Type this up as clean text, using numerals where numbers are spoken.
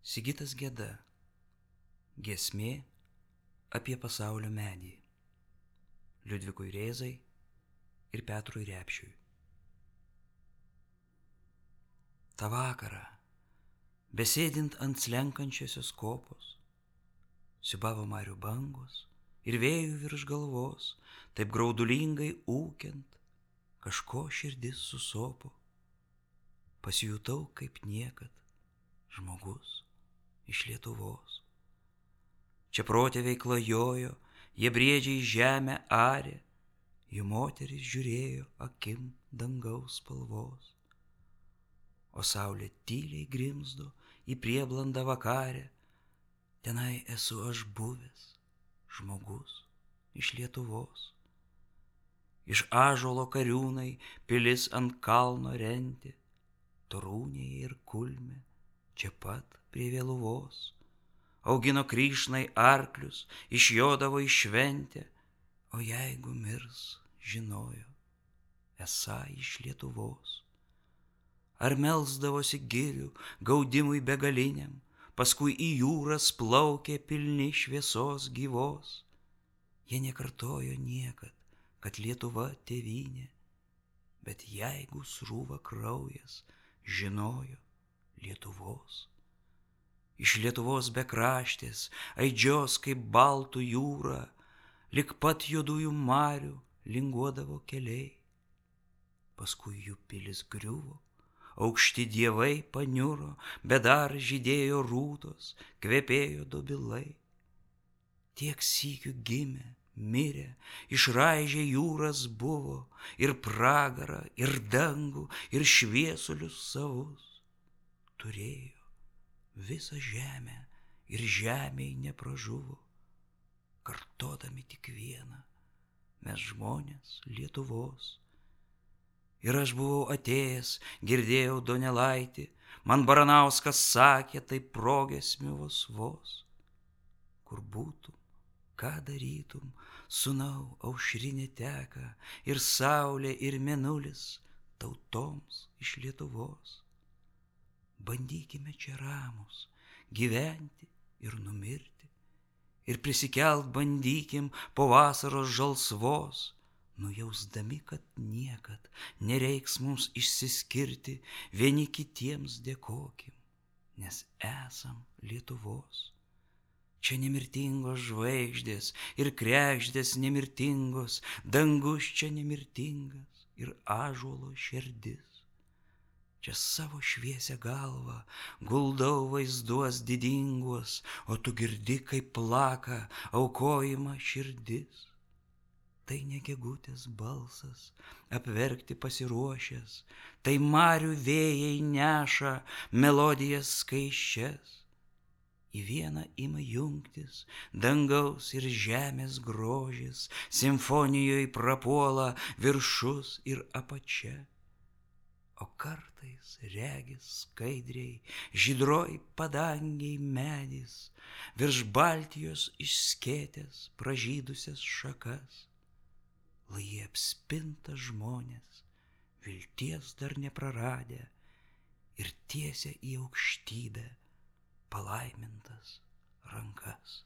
Sigitas Geda. Giesmė apie pasaulio medį. Liudvikui Rėzai ir Petrui Repšiui. Ta vakarą, besėdint ant slenkančiosios kopos, siūbavo marių bangos ir vėjų virš galvos, taip graudulingai ūkiant, kažko širdis susopo. Pasijutau kaip niekad žmogus iš Lietuvos. Čia protėviai klajojo, jie briedžiai žemę arė, jų moteris žiūrėjo akim dangaus spalvos. O saulė tyliai grimzdo į prieblandą vakarę, tenai esu aš buvęs žmogus iš Lietuvos. Iš ąžuolo kariūnai pilis ant kalno rentė, torūnėje ir kulme čia pat prie Vėluvos. Augino kryšnai arklius, išjodavo į šventę, o jeigu mirs, žinojo, esą iš Lietuvos. Ar melsdavosi girių gaudimui begaliniam, paskui į jūras plaukė pilni šviesos gyvos. Jie nekartojo niekad, kad Lietuva tėvynė, bet jeigu srūva kraujas, žinojo Lietuvos. Iš Lietuvos bekraštės aidžios kaip baltų jūra, lik pat juodųjų marių linguodavo keliai. Paskui jų pilis griuvo, aukšti dievai paniuro, bet dar žydėjo rūtos, kvepėjo dobilai. Tiek sykių gimė, mirė, išraižė jūras buvo, ir pragarą, ir dangų, ir šviesulius savus. Turėjo visą žemę ir žemėj nepražuvo, kartodami tik vieną, mes žmonės Lietuvos. Ir aš buvau atėjęs, girdėjau Donelaitį, man Baranauskas sakė, tai progiesmių vos. Kur būtum, ką darytum, sūnau, aušrinė teka, ir saulė, ir mėnulis tautoms iš Lietuvos. Bandykime čia ramus, gyventi ir numirti, ir prisikelt bandykim po vasaros žalsvos, nujausdami, kad niekad nereiks mums išsiskirti, vieni kitiems dėkokim, nes esam Lietuvos. Čia nemirtingos žvaigždės ir kregždės nemirtingos, dangus čia nemirtingas ir ąžuolo širdis. Čia savo šviesią galvą guldau vaizduos didingos, o tu girdi, kaip plaka aukojimą širdis. Tai ne gegutės balsas, apverkti pasiruošęs, tai marių vėjai neša melodijas skaičias. Į vieną ima jungtis dangaus ir žemės grožis, simfonijoje prapuola viršus ir apačia. O kartais regis skaidriai, žydroj padangiai medis, virš Baltijos išskėtęs pražydusias šakas. Lai jie apspinta žmonės, vilties dar nepraradę, ir tiesia į aukštybę palaimintas rankas.